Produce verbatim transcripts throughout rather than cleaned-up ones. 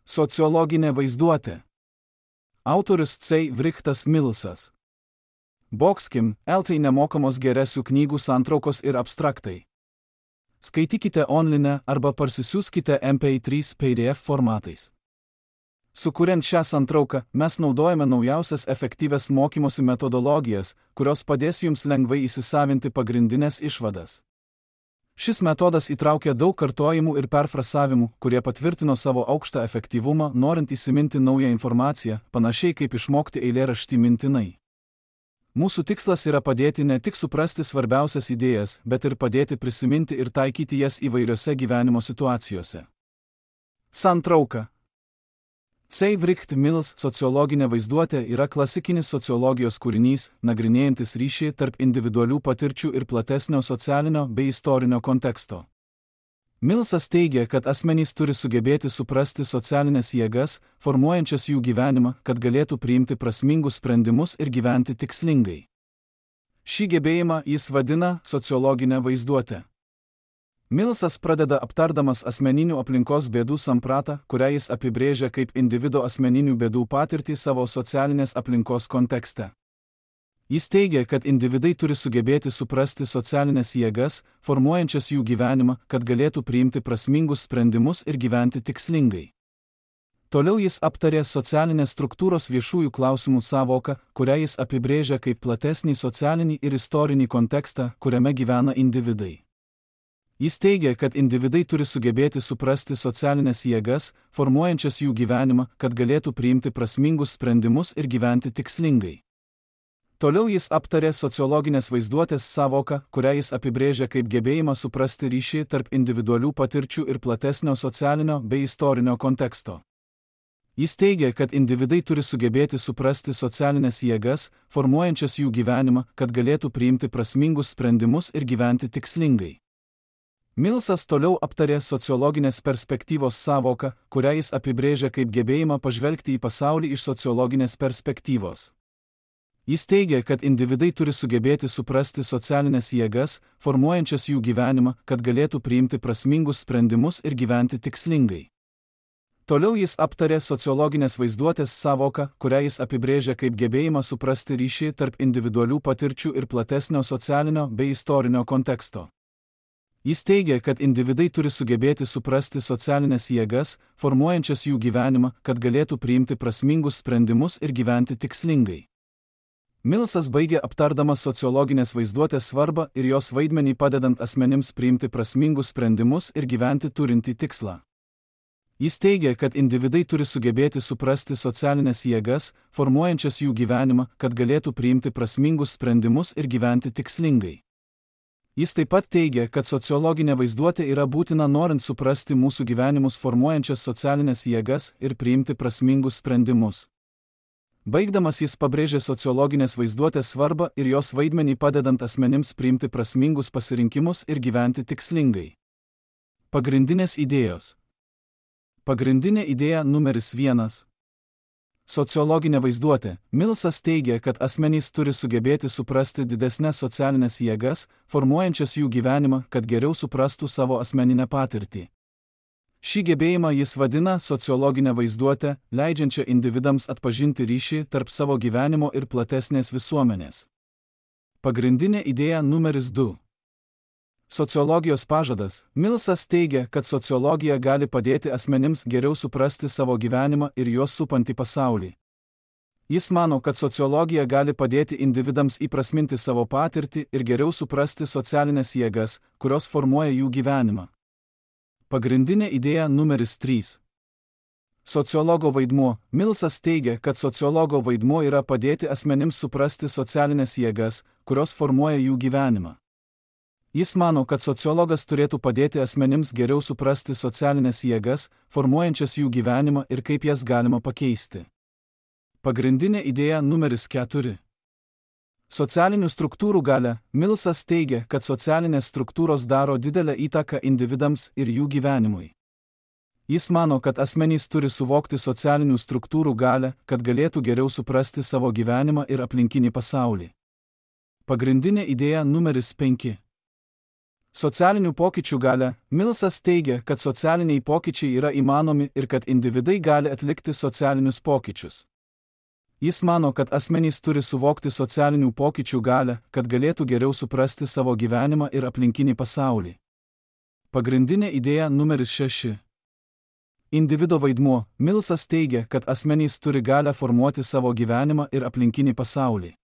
Sociologinė vaizduotė. Autorius C. Friedrichas Millsas. Boxkim, eltai nemokamos geresių knygų santraukos ir abstraktai. Skaitykite online arba parsisiųskite M P trys P D F formatais. Sukuriant šią santrauką, mes naudojame naujausias efektyvias mokymosi metodologijas, kurios padės jums lengvai įsisavinti pagrindinės išvadas. Šis metodas įtraukia daug kartojimų ir perfrasavimų, kurie patvirtino savo aukštą efektyvumą, norint įsiminti naują informaciją, panašiai kaip išmokti eilėraštį mintinai. Mūsų tikslas yra padėti ne tik suprasti svarbiausias idėjas, bet ir padėti prisiminti ir taikyti jas įvairiose gyvenimo situacijose. Santrauka. C. Friedrichas Millsas sociologinė vaizduotė yra klasikinis sociologijos kūrinys, nagrinėjantis ryšį tarp individualių patirčių ir platesnio socialinio bei istorinio konteksto. Millsas teigia, kad asmenys turi sugebėti suprasti socialinės jėgas, formuojančias jų gyvenimą, kad galėtų priimti prasmingus sprendimus ir gyventi tikslingai. Šį gebėjimą jis vadina sociologinę vaizduotę. Millsas pradeda aptardamas asmeninių aplinkos bėdų sampratą, kurią jis apibrėžia kaip individo asmeninių bėdų patirtį savo socialinės aplinkos kontekste. Jis teigia, kad individai turi sugebėti suprasti socialinės jėgas, formuojančias jų gyvenimą, kad galėtų priimti prasmingus sprendimus ir gyventi tikslingai. Toliau jis aptarė socialinės struktūros viešųjų klausimų sąvoką, kurią jis apibrėžia kaip platesnį socialinį ir istorinį kontekstą, kuriame gyvena individai. Jis teigia, kad individai turi sugebėti suprasti socialinės jėgas, formuojančias jų gyvenimą, kad galėtų priimti prasmingus sprendimus ir gyventi tikslingai. Toliau jis aptarė sociologinės vaizduotės sąvoką, kurią jis apibrėžia kaip gebėjimą suprasti ryšį tarp individualių patirčių ir platesnio socialinio bei istorinio konteksto. Jis teigia, kad individai turi sugebėti suprasti socialinės jėgas, formuojančias jų gyvenimą, kad galėtų priimti prasmingus sprendimus ir gyventi tikslingai. Millsas toliau aptarė sociologinės perspektyvos sąvoką, kurią jis apibrėžia kaip gebėjimą pažvelgti į pasaulį iš sociologinės perspektyvos. Jis teigia, kad individai turi sugebėti suprasti socialinės jėgas, formuojančias jų gyvenimą, kad galėtų priimti prasmingus sprendimus ir gyventi tikslingai. Toliau jis aptarė sociologinės vaizduotės sąvoką, kurią jis apibrėžia kaip gebėjimą suprasti ryšį tarp individualių patirčių ir platesnio socialinio bei istorinio konteksto. Jis teigia, kad individai turi sugebėti suprasti socialinės jėgas, formuojančias jų gyvenimą, kad galėtų priimti prasmingus sprendimus ir gyventi tikslingai. Millsas baigė aptardamas sociologinės vaizduotės svarbą ir jos vaidmenį padedant asmenims priimti prasmingus sprendimus ir gyventi turintį tikslą. Jis teigia, kad individai turi sugebėti suprasti socialinės jėgas, formuojančias jų gyvenimą, kad galėtų priimti prasmingus sprendimus ir gyventi tikslingai. Jis taip pat teigia, kad sociologinė vaizduotė yra būtina norint suprasti mūsų gyvenimus formuojančias socialinės jėgas ir priimti prasmingus sprendimus. Baigdamas jis pabrėžė sociologinės vaizduotės svarbą ir jos vaidmenį padedant asmenims priimti prasmingus pasirinkimus ir gyventi tikslingai. Pagrindinės idėjos. Pagrindinė idėja numeris vienas. Sociologinė vaizduotė. Millsas teigia, kad asmenys turi sugebėti suprasti didesnės socialinės jėgas, formuojančias jų gyvenimą, kad geriau suprastų savo asmeninę patirtį. Šį gebėjimą jis vadina sociologinę vaizduotę, leidžiančią individams atpažinti ryšį tarp savo gyvenimo ir platesnės visuomenės. Pagrindinė idėja numeris du. Sociologijos pažadas. Millsas teigia, kad sociologija gali padėti asmenims geriau suprasti savo gyvenimą ir juos supantį pasaulį. Jis mano, kad sociologija gali padėti individams įprasminti savo patirtį ir geriau suprasti socialinės jėgas, kurios formuoja jų gyvenimą. Pagrindinė idėja numeris trys. Sociologo vaidmuo. Millsas teigia, kad sociologo vaidmuo yra padėti asmenims suprasti socialinės jėgas, kurios formuoja jų gyvenimą. Jis mano, kad sociologas turėtų padėti asmenims geriau suprasti socialinės jėgas, formuojančias jų gyvenimą ir kaip jas galima pakeisti. Pagrindinė idėja numeris keturi. Socialinių struktūrų galia. Millsas teigia, kad socialinės struktūros daro didelę įtaką individams ir jų gyvenimui. Jis mano, kad asmenys turi suvokti socialinių struktūrų galią, kad galėtų geriau suprasti savo gyvenimą ir aplinkinį pasaulį. Pagrindinė idėja numeris penki. Socialinių pokyčių galia. Millsas teigia, kad socialiniai pokyčiai yra įmanomi ir kad individai gali atlikti socialinius pokyčius. Jis mano, kad asmenys turi suvokti socialinių pokyčių galią, kad galėtų geriau suprasti savo gyvenimą ir aplinkinį pasaulį. Pagrindinė idėja numeris šeši. Individo vaidmuo. Millsas teigia, kad asmenys turi galią formuoti savo gyvenimą ir aplinkinį pasaulį.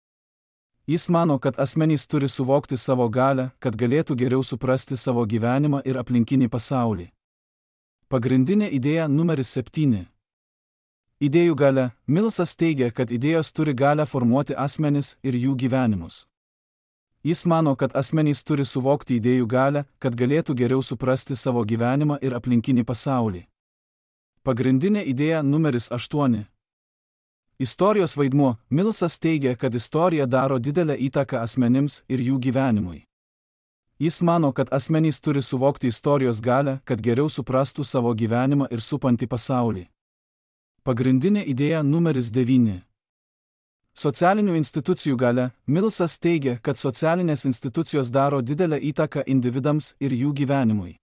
Jis mano, kad asmenys turi suvokti savo galią, kad galėtų geriau suprasti savo gyvenimą ir aplinkinį pasaulį. Pagrindinė idėja numeris septyni. Idėjų galia. Millsas teigia, kad idėjos turi galią formuoti asmenis ir jų gyvenimus. Jis mano, kad asmenys turi suvokti idėjų galią, kad galėtų geriau suprasti savo gyvenimą ir aplinkinį pasaulį. Pagrindinė idėja numeris aštuoni. Istorijos vaidmuo. Millsas teigia, kad istorija daro didelę įtaką asmenims ir jų gyvenimui. Jis mano, kad asmenys turi suvokti istorijos galią, kad geriau suprastų savo gyvenimą ir supantį pasaulį. Pagrindinė idėja numeris devyni. Socialinių institucijų galia. Millsas teigia, kad socialinės institucijos daro didelę įtaką individams ir jų gyvenimui.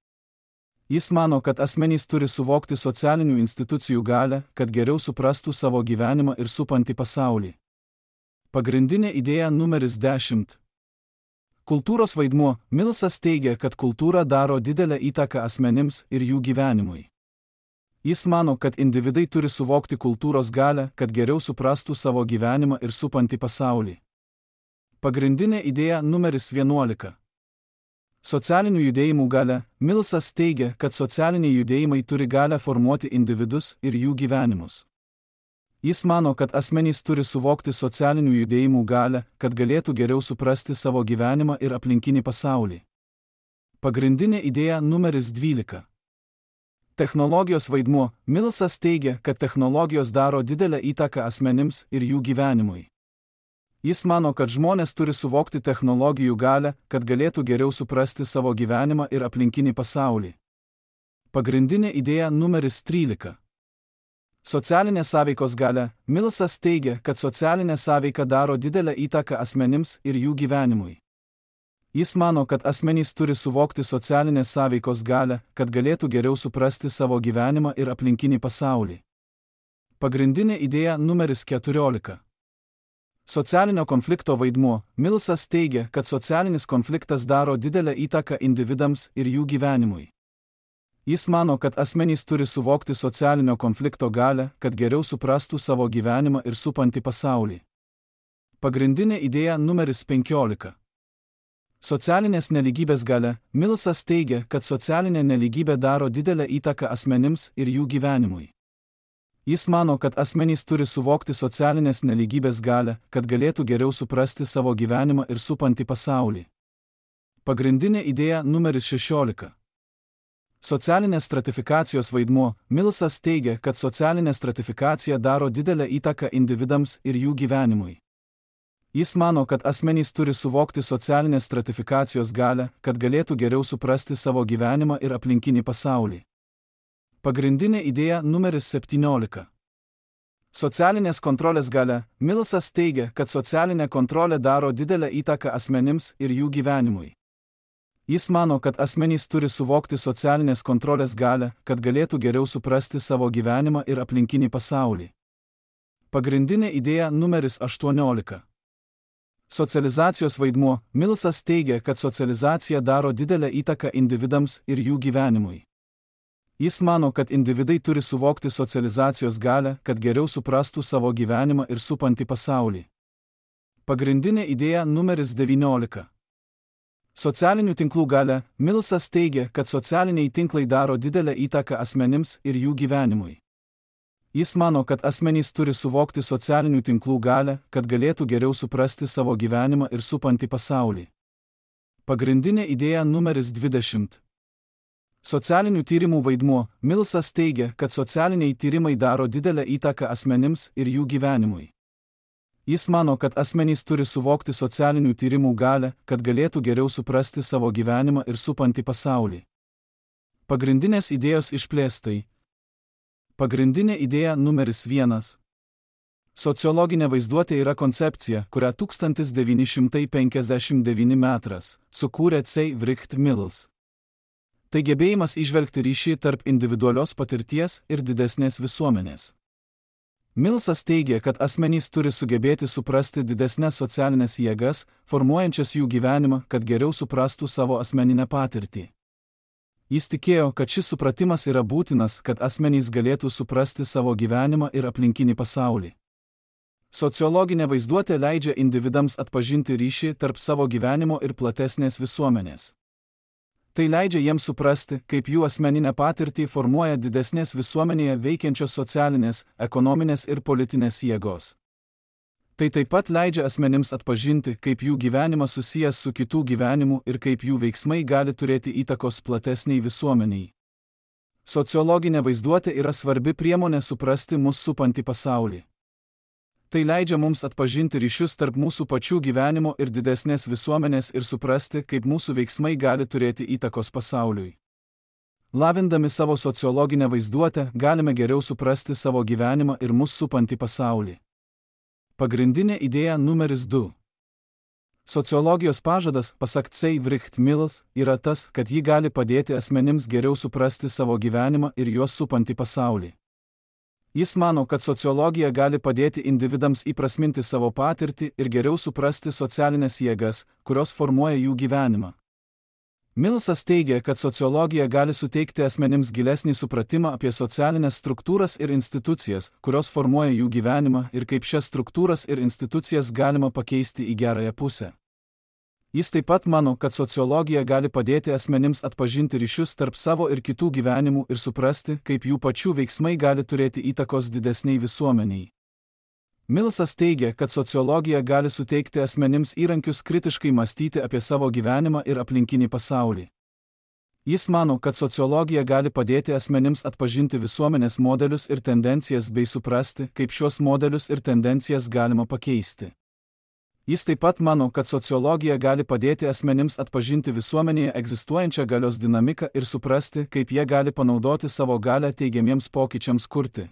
Jis mano, kad asmenys turi suvokti socialinių institucijų galią, kad geriau suprastų savo gyvenimą ir supantį pasaulį. Pagrindinė idėja numeris dešimt. Kultūros vaidmuo. Millsas teigia, kad kultūra daro didelę įtaką asmenims ir jų gyvenimui. Jis mano, kad individai turi suvokti kultūros galią, kad geriau suprastų savo gyvenimą ir supantį pasaulį. Pagrindinė idėja numeris vienuolika. Socialinių judėjimų galia. Millsas teigia, kad socialiniai judėjimai turi galią formuoti individus ir jų gyvenimus. Jis mano, kad asmenys turi suvokti socialinių judėjimų galią, kad galėtų geriau suprasti savo gyvenimą ir aplinkinį pasaulį. Pagrindinė idėja numeris dvylika. Technologijos vaidmuo. Millsas teigia, kad technologijos daro didelę įtaką asmenims ir jų gyvenimui. Jis mano, kad žmonės turi suvokti technologijų galią, kad galėtų geriau suprasti savo gyvenimą ir aplinkinį pasaulį. Pagrindinė idėja numeris trylika. Socialinė sąveikos galia. Millsas teigia, kad socialinė sąveika daro didelę įtaką asmenims ir jų gyvenimui. Jis mano, kad asmenys turi suvokti socialinės sąveikos galią, kad galėtų geriau suprasti savo gyvenimą ir aplinkinį pasaulį. Pagrindinė idėja numeris keturiolika. Socialinio konflikto vaidmuo. Millsas teigia, kad socialinis konfliktas daro didelę įtaką individams ir jų gyvenimui. Jis mano, kad asmenys turi suvokti socialinio konflikto galią, kad geriau suprastų savo gyvenimą ir supantį pasaulį. Pagrindinė idėja numeris penkiolika. Socialinės nelygybės galia. Millsas teigia, kad socialinė nelygybė daro didelę įtaką asmenims ir jų gyvenimui. Jis mano, kad asmenys turi suvokti socialinės nelygybės galią, kad galėtų geriau suprasti savo gyvenimą ir supantį pasaulį. Pagrindinė idėja numeris šešiolika. Socialinės stratifikacijos vaidmuo. Millsas teigia, kad socialinė stratifikacija daro didelę įtaką individams ir jų gyvenimui. Jis mano, kad asmenys turi suvokti socialinės stratifikacijos galią, kad galėtų geriau suprasti savo gyvenimą ir aplinkinį pasaulį. Pagrindinė idėja numeris septyniolika. Socialinės kontrolės galia. Millsas teigia, kad socialinė kontrolė daro didelę įtaką asmenims ir jų gyvenimui. Jis mano, kad asmenys turi suvokti socialinės kontrolės galią, kad galėtų geriau suprasti savo gyvenimą ir aplinkinį pasaulį. Pagrindinė idėja numeris aštuoniolika. Socializacijos vaidmuo. Millsas teigia, kad socializacija daro didelę įtaką individams ir jų gyvenimui. Jis mano, kad individai turi suvokti socializacijos galią, kad geriau suprastų savo gyvenimą ir supantį pasaulį. Pagrindinė idėja numeris devyniolika. Socialinių tinklų galia. Millsas teigia, kad socialiniai tinklai daro didelę įtaką asmenims ir jų gyvenimui. Jis mano, kad asmenys turi suvokti socialinių tinklų galią, kad galėtų geriau suprasti savo gyvenimą ir supantį pasaulį. Pagrindinė idėja numeris dvidešimt. Socialinių tyrimų vaidmuo. Millsas teigia, kad socialiniai tyrimai daro didelę įtaką asmenims ir jų gyvenimui. Jis mano, kad asmenys turi suvokti socialinių tyrimų galią, kad galėtų geriau suprasti savo gyvenimą ir supantį pasaulį. Pagrindinės idėjos išplėstai. Pagrindinė idėja numeris vienas. Sociologinė vaizduotė yra koncepcija, kurią tūkstantis devyni šimtai penkiasdešimt devintais metais sukūrė C. Wright Mills. Tai gebėjimas įžvelgti ryšį tarp individualios patirties ir didesnės visuomenės. Millsas teigia, kad asmenys turi sugebėti suprasti didesnės socialinės jėgas, formuojančias jų gyvenimą, kad geriau suprastų savo asmeninę patirtį. Jis tikėjo, kad šis supratimas yra būtinas, kad asmenys galėtų suprasti savo gyvenimą ir aplinkinį pasaulį. Sociologinė vaizduotė leidžia individams atpažinti ryšį tarp savo gyvenimo ir platesnės visuomenės. Tai leidžia jiems suprasti, kaip jų asmeninę patirtį formuoja didesnės visuomenėje veikiančios socialinės, ekonominės ir politinės jėgos. Tai taip pat leidžia asmenims atpažinti, kaip jų gyvenimas susijęs su kitų gyvenimu ir kaip jų veiksmai gali turėti įtakos platesniai visuomeniai. Sociologinė vaizduotė yra svarbi priemonė suprasti mus supantį pasaulį. Tai leidžia mums atpažinti ryšius tarp mūsų pačių gyvenimo ir didesnės visuomenės ir suprasti, kaip mūsų veiksmai gali turėti įtakos pasauliui. Lavindami savo sociologinę vaizduotę, galime geriau suprasti savo gyvenimą ir mus supantį pasaulį. Pagrindinė idėja numeris du. Sociologijos pažadas, pasak C. Wright Mills, yra tas, kad ji gali padėti asmenims geriau suprasti savo gyvenimą ir juos supantį pasaulį. Jis mano, kad sociologija gali padėti individams įprasminti savo patirtį ir geriau suprasti socialinės jėgas, kurios formuoja jų gyvenimą. Millsas teigia, kad sociologija gali suteikti asmenims gilesnį supratimą apie socialinės struktūras ir institucijas, kurios formuoja jų gyvenimą ir kaip šias struktūras ir institucijas galima pakeisti į gerąją pusę. Jis taip pat mano, kad sociologija gali padėti asmenims atpažinti ryšius tarp savo ir kitų gyvenimų ir suprasti, kaip jų pačių veiksmai gali turėti įtakos didesniai visuomeniai. Millsas teigia, kad sociologija gali suteikti asmenims įrankius kritiškai mąstyti apie savo gyvenimą ir aplinkinį pasaulį. Jis mano, kad sociologija gali padėti asmenims atpažinti visuomenės modelius ir tendencijas bei suprasti, kaip šiuos modelius ir tendencijas galima pakeisti. Jis taip pat mano, kad sociologija gali padėti asmenims atpažinti visuomenėje egzistuojančią galios dinamiką ir suprasti, kaip jie gali panaudoti savo galią teigiamiems pokyčiams kurti.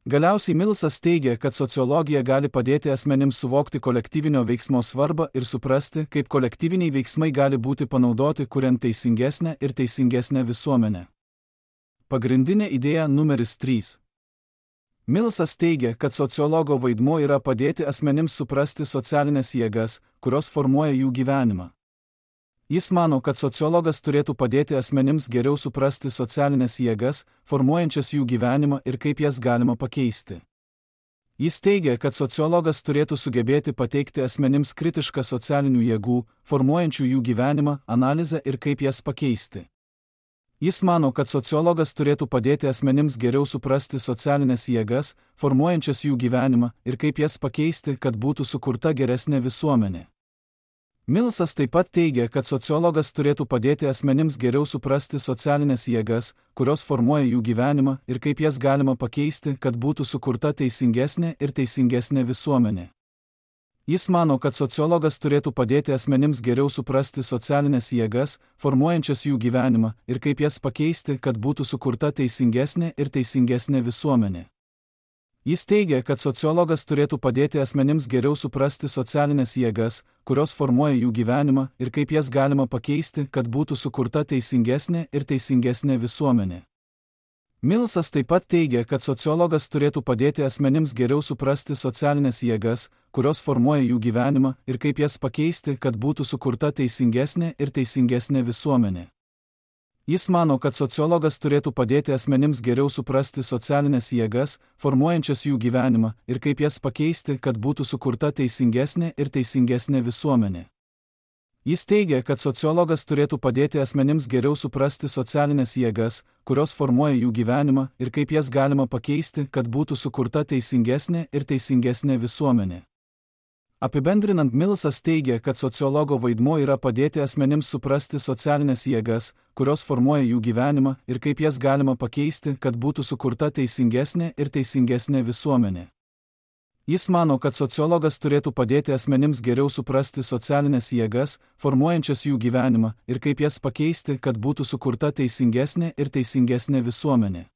Galiausiai Millsas teigia, kad sociologija gali padėti asmenims suvokti kolektyvinio veiksmo svarbą ir suprasti, kaip kolektyviniai veiksmai gali būti panaudoti kuriant teisingesnę ir teisingesnę visuomenę. Pagrindinė idėja numeris trys. Millsas teigia, kad sociologo vaidmuo yra padėti asmenims suprasti socialinės jėgas, kurios formuoja jų gyvenimą. Jis mano, kad sociologas turėtų padėti asmenims geriau suprasti socialinės jėgas, formuojančias jų gyvenimą ir kaip jas galima pakeisti. Jis teigia, kad sociologas turėtų sugebėti pateikti asmenims kritišką socialinių jėgų, formuojančių jų gyvenimą, analizę ir kaip jas pakeisti. Jis mano, kad sociologas turėtų padėti asmenims geriau suprasti socialinės jėgas, formuojančias jų gyvenimą ir kaip jas pakeisti, kad būtų sukurta geresnė visuomenė. Millsas taip pat teigia, kad sociologas turėtų padėti asmenims geriau suprasti socialinės jėgas, kurios formuoja jų gyvenimą ir kaip jas galima pakeisti, kad būtų sukurta teisingesnė ir teisingesnė visuomenė. Jis mano, kad sociologas turėtų padėti asmenims geriau suprasti socialinės jėgas, formuojančias jų gyvenimą ir kaip jas pakeisti, kad būtų sukurta teisingesnė ir teisingesnė visuomenė. Jis teigia, kad sociologas turėtų padėti asmenims geriau suprasti socialinės jėgas, kurios formuoja jų gyvenimą ir kaip jas galima pakeisti, kad būtų sukurta teisingesnė ir teisingesnė visuomenė. Millsas taip pat teigia, kad sociologas turėtų padėti asmenims geriau suprasti socialinės jėgas, kurios formuoja jų gyvenimą ir kaip jas pakeisti, kad būtų sukurta teisingesnė ir teisingesnė visuomenė. Jis mano, kad sociologas turėtų padėti asmenims geriau suprasti socialinės jėgas, formuojančias jų gyvenimą ir kaip jas pakeisti, kad būtų sukurta teisingesnė ir teisingesnė visuomenė. Jis teigia, kad sociologas turėtų padėti asmenims geriau suprasti socialinės jėgas, kurios formuoja jų gyvenimą ir kaip jas galima pakeisti, kad būtų sukurta teisingesnė ir teisingesnė visuomenė. Apibendrinant, Millsas teigia, kad sociologo vaidmuo yra padėti asmenims suprasti socialinės jėgas, kurios formuoja jų gyvenimą ir kaip jas galima pakeisti, kad būtų sukurta teisingesnė ir teisingesnė visuomenė. Jis mano, kad sociologas turėtų padėti asmenims geriau suprasti socialinės jėgas, formuojančias jų gyvenimą ir kaip jas pakeisti, kad būtų sukurta teisingesnė ir teisingesnė visuomenė.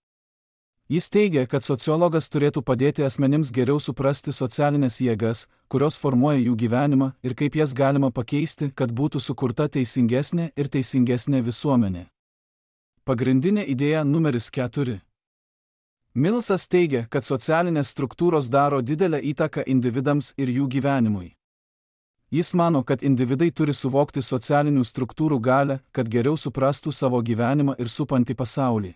Jis teigia, kad sociologas turėtų padėti asmenims geriau suprasti socialinės jėgas, kurios formuoja jų gyvenimą ir kaip jas galima pakeisti, kad būtų sukurta teisingesnė ir teisingesnė visuomenė. Pagrindinė idėja numeris keturi. Millsas teigia, kad socialinės struktūros daro didelę įtaką individams ir jų gyvenimui. Jis mano, kad individai turi suvokti socialinių struktūrų galią, kad geriau suprastų savo gyvenimą ir supantį pasaulį.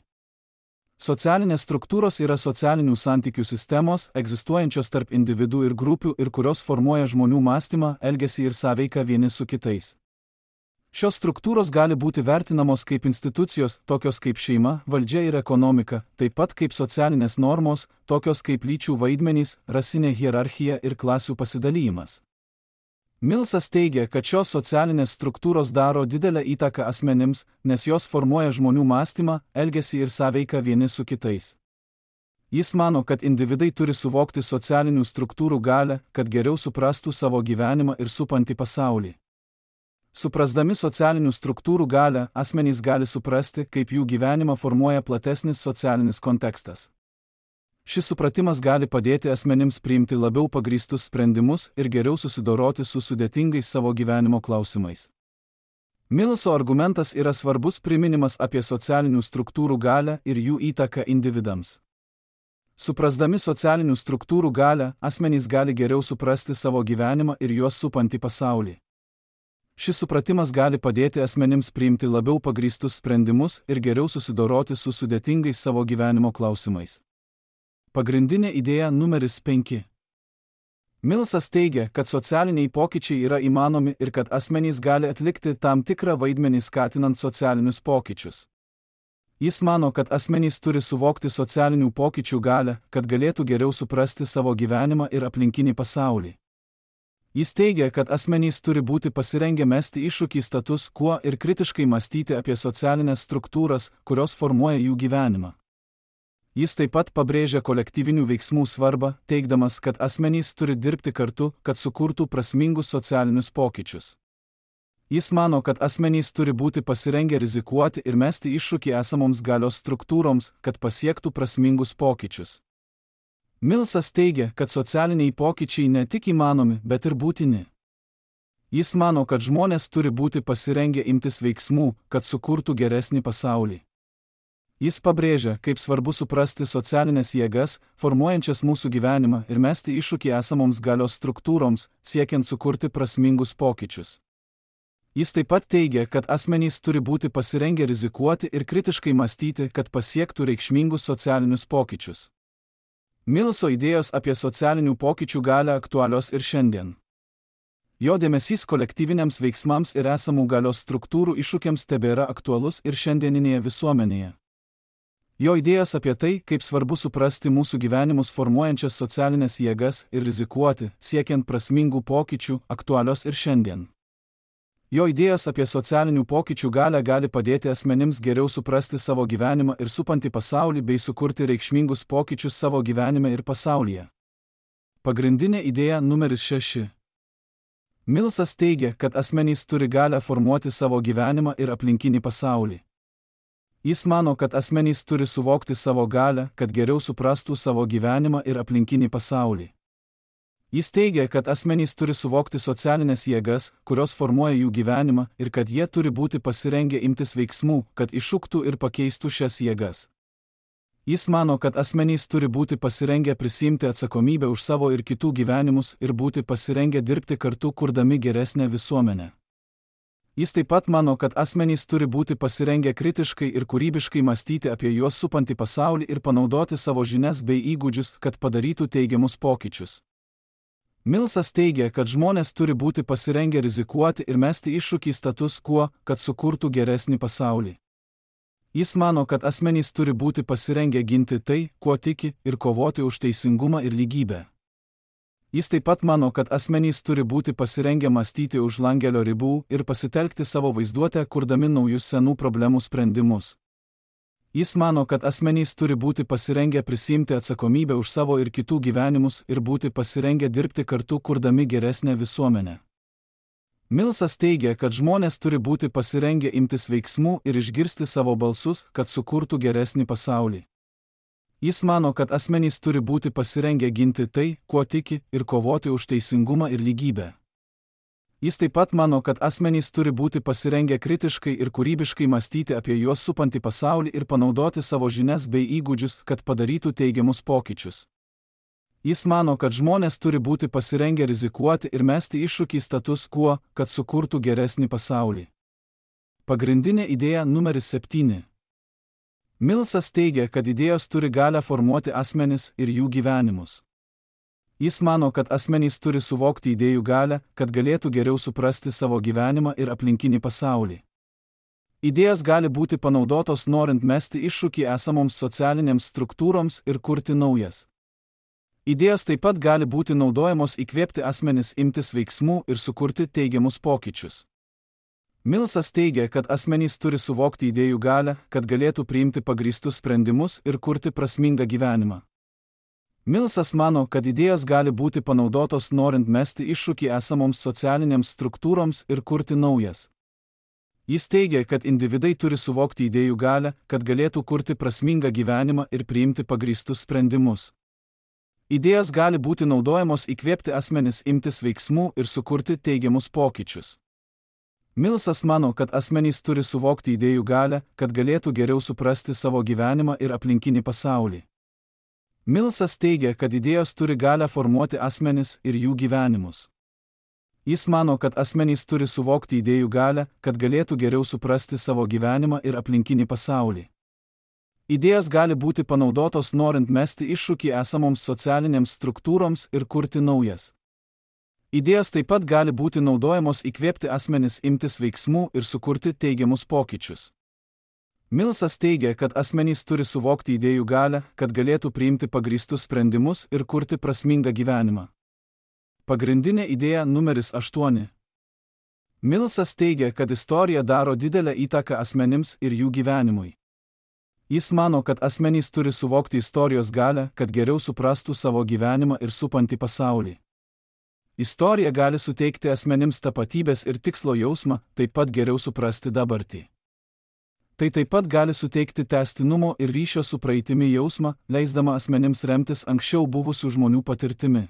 Socialinės struktūros yra socialinių santykių sistemos, egzistuojančios tarp individų ir grupių ir kurios formuoja žmonių mąstymą, elgesį ir sąveiką vieni su kitais. Šios struktūros gali būti vertinamos kaip institucijos, tokios kaip šeima, valdžia ir ekonomika, taip pat kaip socialinės normos, tokios kaip lyčių vaidmenys, rasinė hierarchija ir klasių pasidalymas. Millsas teigia, kad šios socialinės struktūros daro didelę įtaką asmenims, nes jos formuoja žmonių mąstymą, elgesį ir sąveiką vieni su kitais. Jis mano, kad individai turi suvokti socialinių struktūrų galią, kad geriau suprastų savo gyvenimą ir supantį pasaulį. Suprasdami socialinių struktūrų galią, asmenys gali suprasti, kaip jų gyvenimą formuoja platesnis socialinis kontekstas. Šis supratimas gali padėti asmenims priimti labiau pagrįstus sprendimus ir geriau susidoroti su sudėtingais savo gyvenimo klausimais. Millso argumentas yra svarbus priminimas apie socialinių struktūrų galią ir jų įtaką individams. Suprasdami socialinių struktūrų galią, asmenys gali geriau suprasti savo gyvenimą ir juos supantį pasaulį. Šis supratimas gali padėti asmenims priimti labiau pagrįstus sprendimus ir geriau susidoroti su sudėtingais savo gyvenimo klausimais. Pagrindinė idėja numeris penki. Millsas teigia, kad socialiniai pokyčiai yra įmanomi ir kad asmenys gali atlikti tam tikrą vaidmenį skatinant socialinius pokyčius. Jis mano, kad asmenys turi suvokti socialinių pokyčių galią, kad galėtų geriau suprasti savo gyvenimą ir aplinkinį pasaulį. Jis teigia, kad asmenys turi būti pasirengę mesti iššūkį status quo ir kritiškai mąstyti apie socialinės struktūras, kurios formuoja jų gyvenimą. Jis taip pat pabrėžia kolektyvinių veiksmų svarbą, teigdamas, kad asmenys turi dirbti kartu, kad sukurtų prasmingus socialinius pokyčius. Jis mano, kad asmenys turi būti pasirengę rizikuoti ir mesti iššūkį esamoms galios struktūroms, kad pasiektų prasmingus pokyčius. Millsas teigia, kad socialiniai pokyčiai ne tik įmanomi, bet ir būtini. Jis mano, kad žmonės turi būti pasirengę imtis veiksmų, kad sukurtų geresnį pasaulį. Jis pabrėžia, kaip svarbu suprasti socialinės jėgas, formuojančias mūsų gyvenimą ir mesti iššūkį esamoms galios struktūroms, siekiant sukurti prasmingus pokyčius. Jis taip pat teigia, kad asmenys turi būti pasirengę rizikuoti ir kritiškai mąstyti, kad pasiektų reikšmingus socialinius pokyčius. Millso idėjos apie socialinių pokyčių galią aktualios ir šiandien. Jo dėmesys kolektyviniams veiksmams ir esamų galios struktūrų iššūkiams tebėra aktualus ir šiandieninėje visuomenėje. Jo idėjas apie tai, kaip svarbu suprasti mūsų gyvenimus formuojančias socialinės jėgas ir rizikuoti, siekiant prasmingų pokyčių, aktualios ir šiandien. Jo idėjas apie socialinių pokyčių galią gali padėti asmenims geriau suprasti savo gyvenimą ir supantį pasaulį bei sukurti reikšmingus pokyčius savo gyvenime ir pasaulyje. Pagrindinė idėja numeris šeši. Millsas teigia, kad asmenys turi galią formuoti savo gyvenimą ir aplinkinį pasaulį. Jis mano, kad asmenys turi suvokti savo galią, kad geriau suprastų savo gyvenimą ir aplinkinį pasaulį. Jis teigia, kad asmenys turi suvokti socialinės jėgas, kurios formuoja jų gyvenimą, ir kad jie turi būti pasirengę imtis veiksmų, kad iššūktų ir pakeistų šias jėgas. Jis mano, kad asmenys turi būti pasirengę prisiimti atsakomybę už savo ir kitų gyvenimus ir būti pasirengę dirbti kartu, kurdami geresnę visuomenę. Jis taip pat mano, kad asmenys turi būti pasirengę kritiškai ir kūrybiškai mąstyti apie juos supantį pasaulį ir panaudoti savo žinias bei įgūdžius, kad padarytų teigiamus pokyčius. Millsas teigia, kad žmonės turi būti pasirengę rizikuoti ir mesti iššūkį status quo, kad sukurtų geresnį pasaulį. Jis mano, kad asmenys turi būti pasirengę ginti tai, kuo tiki, ir kovoti už teisingumą ir lygybę. Jis taip pat mano, kad asmenys turi būti pasirengę mąstyti už langelio ribų ir pasitelkti savo vaizduotę, kurdami naujus senų problemų sprendimus. Jis mano, kad asmenys turi būti pasirengę prisiimti atsakomybę už savo ir kitų gyvenimus ir būti pasirengę dirbti kartu, kurdami geresnę visuomenę. Millsas teigia, kad žmonės turi būti pasirengę imtis veiksmų ir išgirsti savo balsus, kad sukurtų geresnį pasaulį. Jis mano, kad asmenys turi būti pasirengę ginti tai, kuo tiki, ir kovoti už teisingumą ir lygybę. Jis taip pat mano, kad asmenys turi būti pasirengę kritiškai ir kūrybiškai mąstyti apie juos supantį pasaulį ir panaudoti savo žinias bei įgūdžius, kad padarytų teigiamus pokyčius. Jis mano, kad žmonės turi būti pasirengę rizikuoti ir mesti iššūkį status quo, kad sukurtų geresnį pasaulį. Pagrindinė idėja numeris septyni. Millsas teigia, kad idėjos turi galią formuoti asmenis ir jų gyvenimus. Jis mano, kad asmenys turi suvokti idėjų galią, kad galėtų geriau suprasti savo gyvenimą ir aplinkinį pasaulį. Idėjas gali būti panaudotos norint mesti iššūkį esamoms socialinėms struktūroms ir kurti naujas. Idėjos taip pat gali būti naudojamos įkvėpti asmenis imtis veiksmų ir sukurti teigiamus pokyčius. Millsas teigia, kad asmenys turi suvokti idėjų galią, kad galėtų priimti pagrįstus sprendimus ir kurti prasmingą gyvenimą. Millsas mano, kad idėjos gali būti panaudotos norint mesti iššūkį esamoms socialinėms struktūroms ir kurti naujas. Jis teigia, kad individai turi suvokti idėjų galią, kad galėtų kurti prasmingą gyvenimą ir priimti pagrįstus sprendimus. Idėjos gali būti naudojamos įkvėpti asmenis imtis veiksmų ir sukurti teigiamus pokyčius. Millsas mano, kad asmenys turi suvokti idėjų galią, kad galėtų geriau suprasti savo gyvenimą ir aplinkinį pasaulį. Millsas teigia, kad idėjos turi galią formuoti asmenis ir jų gyvenimus. Jis mano, kad asmenys turi suvokti idėjų galią, kad galėtų geriau suprasti savo gyvenimą ir aplinkinį pasaulį. Idėjos gali būti panaudotos norint mesti iššūkį esamoms socialinėms struktūroms ir kurti naujas. Idėjos taip pat gali būti naudojamos įkvėpti asmenis imtis veiksmų ir sukurti teigiamus pokyčius. Millsas teigia, kad asmenys turi suvokti idėjų galią, kad galėtų priimti pagrįstus sprendimus ir kurti prasmingą gyvenimą. Pagrindinė idėja numeris aštuoni. Millsas teigia, kad istorija daro didelę įtaką asmenims ir jų gyvenimui. Jis mano, kad asmenys turi suvokti istorijos galią, kad geriau suprastų savo gyvenimą ir supantį pasaulį. Istorija gali suteikti asmenims tapatybės ir tikslo jausmą, taip pat geriau suprasti dabartį. Tai taip pat gali suteikti tęstinumo ir ryšio su praeitimi jausmą, leisdama asmenims remtis anksčiau buvusių žmonių patirtimi.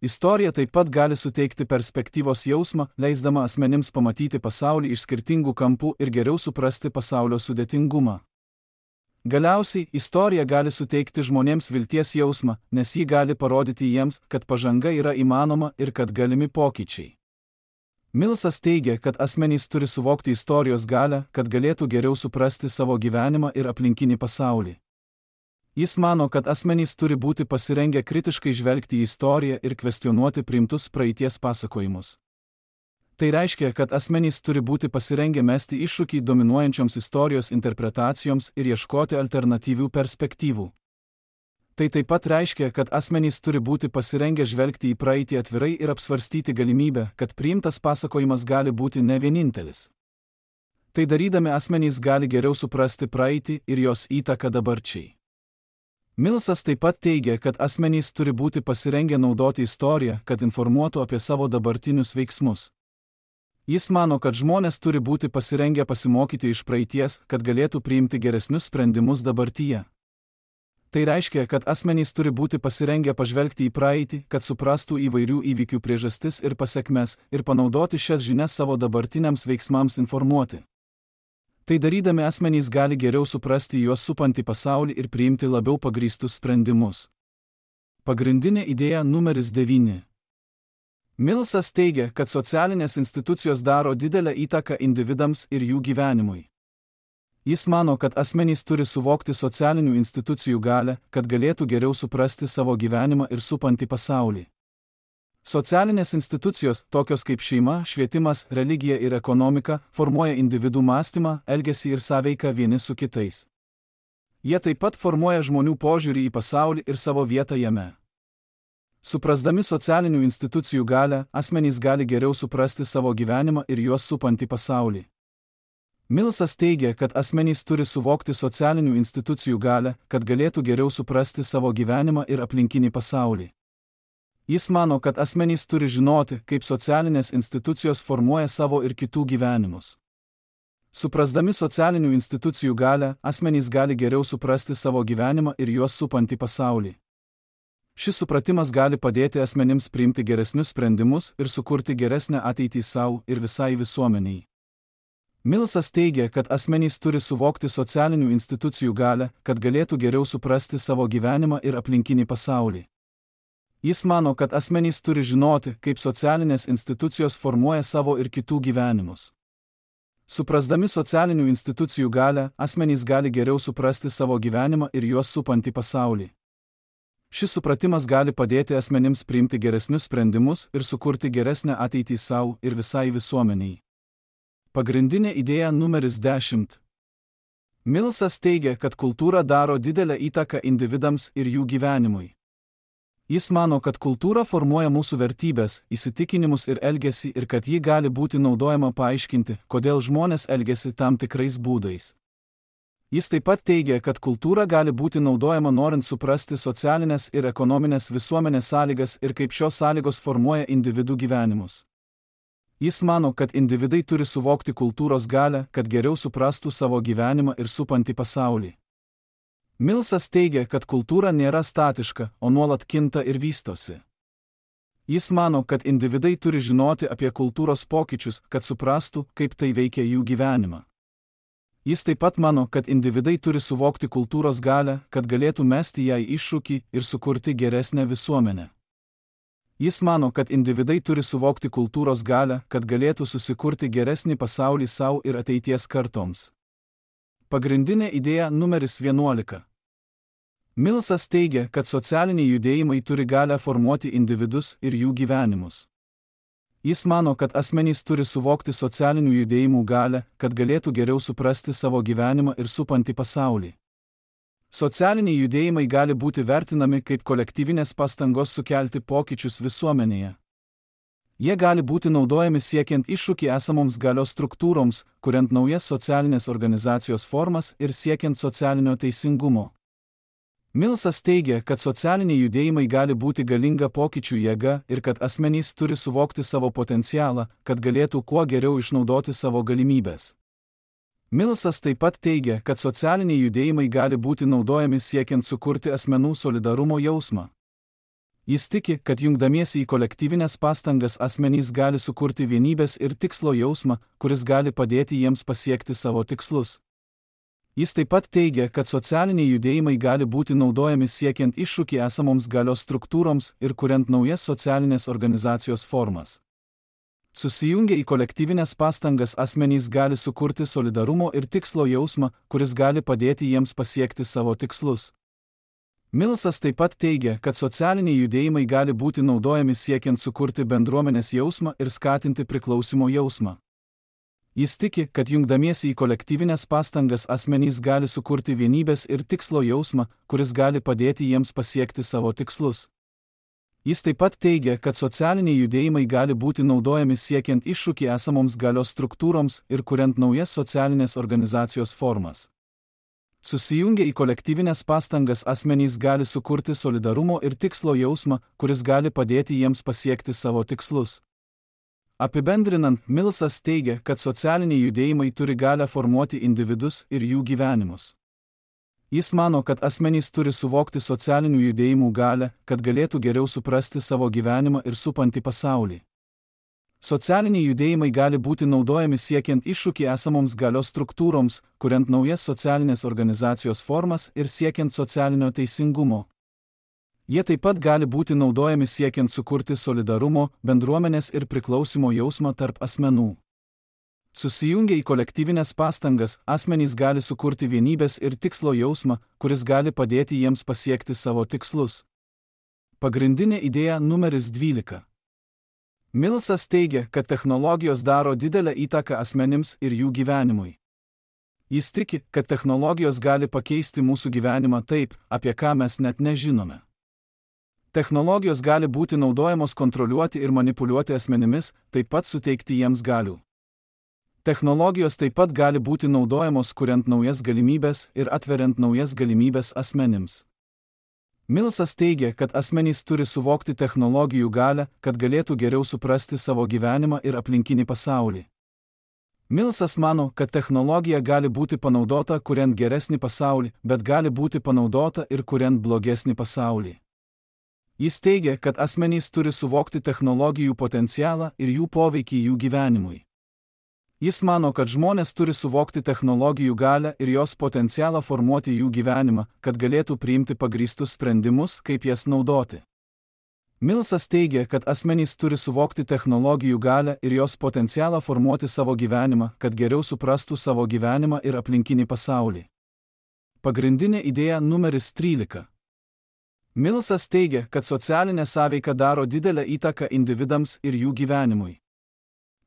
Istorija taip pat gali suteikti perspektyvos jausmą, leisdama asmenims pamatyti pasaulį iš skirtingų kampų ir geriau suprasti pasaulio sudėtingumą. Galiausiai, istorija gali suteikti žmonėms vilties jausmą, nes ji gali parodyti jiems, kad pažanga yra įmanoma ir kad galimi pokyčiai. Millsas teigia, kad asmenys turi suvokti istorijos galią, kad galėtų geriau suprasti savo gyvenimą ir aplinkinį pasaulį. Jis mano, kad asmenys turi būti pasirengę kritiškai žvelgti į istoriją ir kvestionuoti priimtus praeities pasakojimus. Tai reiškia, kad asmenys turi būti pasirengę mesti iššūkį dominuojančioms istorijos interpretacijoms ir ieškoti alternatyvių perspektyvų. Tai taip pat reiškia, kad asmenys turi būti pasirengę žvelgti į praeitį atvirai ir apsvarstyti galimybę, kad priimtas pasakojimas gali būti ne vienintelis. Tai darydami asmenys gali geriau suprasti praeitį ir jos įtaką dabarčiai. Millsas taip pat teigia, kad asmenys turi būti pasirengę naudoti istoriją, kad informuotų apie savo dabartinius veiksmus. Jis mano, kad žmonės turi būti pasirengę pasimokyti iš praeities, kad galėtų priimti geresnius sprendimus dabartyje. Tai reiškia, kad asmenys turi būti pasirengę pažvelgti į praeitį, kad suprastų įvairių įvykių priežastis ir pasekmes ir panaudoti šias žinias savo dabartiniams veiksmams informuoti. Tai darydami asmenys gali geriau suprasti juos supantį pasaulį ir priimti labiau pagrįstus sprendimus. Pagrindinė idėja numeris devyni. Millsas teigia, kad socialinės institucijos daro didelę įtaką individams ir jų gyvenimui. Jis mano, kad asmenys turi suvokti socialinių institucijų galią, kad galėtų geriau suprasti savo gyvenimą ir supantį pasaulį. Socialinės institucijos, tokios kaip šeima, švietimas, religija ir ekonomika, formuoja individų mąstymą, elgesį ir sąveiką vieni su kitais. Jie taip pat formuoja žmonių požiūrį į pasaulį ir savo vietą jame. Suprasdami socialinių institucijų galią, asmenys gali geriau suprasti savo gyvenimą ir juos supantį pasaulį. Millsas teigia, kad asmenys turi suvokti socialinių institucijų galią, kad galėtų geriau suprasti savo gyvenimą ir aplinkinį pasaulį. Jis mano, kad asmenys turi žinoti, kaip socialinės institucijos formuoja savo ir kitų gyvenimus. Suprasdami socialinių institucijų galią, asmenys gali geriau suprasti savo gyvenimą ir juos supantį pasaulį. Šis supratimas gali padėti asmenims priimti geresnius sprendimus ir sukurti geresnę ateitį savo ir visai visuomeniai. Millsas teigia, kad asmenys turi suvokti socialinių institucijų galią, kad galėtų geriau suprasti savo gyvenimą ir aplinkinį pasaulį. Jis mano, kad asmenys turi žinoti, kaip socialinės institucijos formuoja savo ir kitų gyvenimus. Suprasdami socialinių institucijų galią, asmenys gali geriau suprasti savo gyvenimą ir juos supantį pasaulį. Šis supratimas gali padėti asmenims priimti geresnius sprendimus ir sukurti geresnę ateitį savo ir visai visuomeniai. Pagrindinė idėja numeris dešimt. Millsas teigia, kad kultūra daro didelę įtaką individams ir jų gyvenimui. Jis mano, kad kultūra formuoja mūsų vertybės, įsitikinimus ir elgesį ir kad ji gali būti naudojama paaiškinti, kodėl žmonės elgiasi tam tikrais būdais. Jis taip pat teigia, kad kultūra gali būti naudojama norint suprasti socialinės ir ekonominės visuomenės sąlygas ir kaip šios sąlygos formuoja individų gyvenimus. Jis mano, kad individai turi suvokti kultūros galią, kad geriau suprastų savo gyvenimą ir supantį pasaulį. Millsas teigia, kad kultūra nėra statiška, o nuolat kinta ir vystosi. Jis mano, kad individai turi žinoti apie kultūros pokyčius, kad suprastų, kaip tai veikia jų gyvenimą. Jis taip pat mano, kad individai turi suvokti kultūros galią, kad galėtų mesti jai iššūkį ir sukurti geresnę visuomenę. Jis mano, kad individai turi suvokti kultūros galią, kad galėtų susikurti geresnį pasaulį savo ir ateities kartoms. Pagrindinė idėja numeris vienuolika. Millsas teigia, kad socialiniai judėjimai turi galią formuoti individus ir jų gyvenimus. Jis mano, kad asmenys turi suvokti socialinių judėjimų galią, kad galėtų geriau suprasti savo gyvenimą ir supantį pasaulį. Socialiniai judėjimai gali būti vertinami kaip kolektyvinės pastangos sukelti pokyčius visuomenėje. Jie gali būti naudojami siekiant iššūkį esamoms galios struktūroms, kuriant naujas socialinės organizacijos formas ir siekiant socialinio teisingumo. Millsas teigia, kad socialiniai judėjimai gali būti galinga pokyčių jėga ir kad asmenys turi suvokti savo potencialą, kad galėtų kuo geriau išnaudoti savo galimybės. Millsas taip pat teigia, kad socialiniai judėjimai gali būti naudojami siekiant sukurti asmenų solidarumo jausmą. Jis tiki, kad jungdamiesi į kolektyvinės pastangas asmenys gali sukurti vienybės ir tikslo jausmą, kuris gali padėti jiems pasiekti savo tikslus. Jis taip pat teigia, kad socialiniai judėjimai gali būti naudojami siekiant iššūkį esamoms galios struktūroms ir kuriant naujas socialinės organizacijos formas. Susijungę į kolektyvinės pastangas asmenys gali sukurti solidarumo ir tikslo jausmą, kuris gali padėti jiems pasiekti savo tikslus. Millsas taip pat teigia, kad socialiniai judėjimai gali būti naudojami siekiant sukurti bendruomenės jausmą ir skatinti priklausimo jausmą. Jis tiki, kad jungdamiesi į kolektyvinės pastangas asmenys gali sukurti vienybės ir tikslo jausmą, kuris gali padėti jiems pasiekti savo tikslus. Jis taip pat teigia, kad socialiniai judėjimai gali būti naudojami siekiant iššūkį esamoms galios struktūroms ir kuriant naujas socialinės organizacijos formas. Susijungę į kolektyvinės pastangas asmenys gali sukurti solidarumo ir tikslo jausmą, kuris gali padėti jiems pasiekti savo tikslus. Apibendrinant, Millsas teigia, kad socialiniai judėjimai turi galią formuoti individus ir jų gyvenimus. Jis mano, kad asmenys turi suvokti socialinių judėjimų galią, kad galėtų geriau suprasti savo gyvenimą ir supantį pasaulį. Socialiniai judėjimai gali būti naudojami siekiant iššūkį esamoms galios struktūroms, kuriant naujas socialinės organizacijos formas ir siekiant socialinio teisingumo. Jie taip pat gali būti naudojami siekiant sukurti solidarumo, bendruomenės ir priklausimo jausmą tarp asmenų. Susijungę į kolektyvinės pastangas, asmenys gali sukurti vienybės ir tikslo jausmą, kuris gali padėti jiems pasiekti savo tikslus. Pagrindinė idėja numeris dvylika. Millsas teigia, kad technologijos daro didelę įtaką asmenims ir jų gyvenimui. Jis tiki, kad technologijos gali pakeisti mūsų gyvenimą taip, apie ką mes net nežinome. Technologijos gali būti naudojamos kontroliuoti ir manipuliuoti asmenimis, taip pat suteikti jiems galių. Technologijos taip pat gali būti naudojamos kuriant naujas galimybės ir atveriant naujas galimybės asmenims. Millsas teigia, kad asmenys turi suvokti technologijų galią, kad galėtų geriau suprasti savo gyvenimą ir aplinkinį pasaulį. Millsas mano, kad technologija gali būti panaudota kuriant geresnį pasaulį, bet gali būti panaudota ir kuriant blogesnį pasaulį. Jis teigia, kad asmenys turi suvokti technologijų potencialą ir jų poveikį jų gyvenimui. Jis mano, kad žmonės turi suvokti technologijų galią ir jos potencialą formuoti jų gyvenimą, kad galėtų priimti pagrįstus sprendimus, kaip jas naudoti. Millsas teigia, kad asmenys turi suvokti technologijų galią ir jos potencialą formuoti savo gyvenimą, kad geriau suprastų savo gyvenimą ir aplinkinį pasaulį. Pagrindinė idėja numeris trylika. Millsas teigia, kad socialinė sąveika daro didelę įtaką individams ir jų gyvenimui.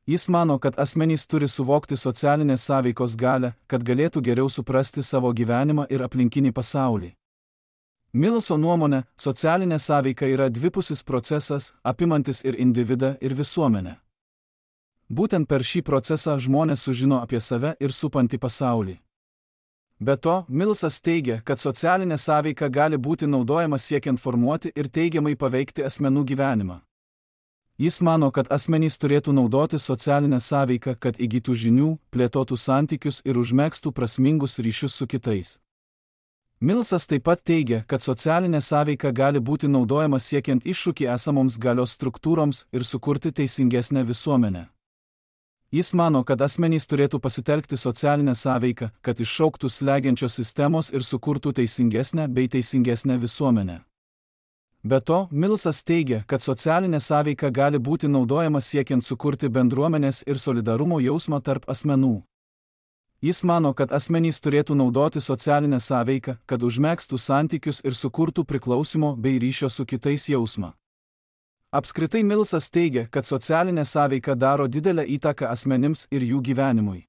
Jis mano, kad asmenys turi suvokti socialinės sąveikos galią, kad galėtų geriau suprasti savo gyvenimą ir aplinkinį pasaulį. Millso nuomone, socialinė sąveika yra dvipusis procesas, apimantis ir individą, ir visuomenę. Būtent per šį procesą žmonės sužino apie save ir supantį pasaulį. Be to, Millsas teigia, kad socialinė sąveika gali būti naudojama siekiant formuoti ir teigiamai paveikti asmenų gyvenimą. Jis mano, kad asmenys turėtų naudoti socialinę sąveiką, kad įgytų žinių, plėtotų santykius ir užmegztų prasmingus ryšius su kitais. Millsas taip pat teigia, kad socialinė sąveika gali būti naudojama siekiant iššūkį esamoms galios struktūroms ir sukurti teisingesnę visuomenę. Jis mano, kad asmenys turėtų pasitelkti socialinę sąveiką, kad iššauktų slegiančios sistemos ir sukurtų teisingesnę bei teisingesnę visuomenę. Be to, Millsas teigia, kad socialinė sąveika gali būti naudojama siekiant sukurti bendruomenės ir solidarumo jausmą tarp asmenų. Jis mano, kad asmenys turėtų naudoti socialinę sąveiką, kad užmegztų santykius ir sukurtų priklausimo bei ryšio su kitais jausmą. Apskritai Millsas teigia, kad socialinė sąveika daro didelę įtaką asmenims ir jų gyvenimui.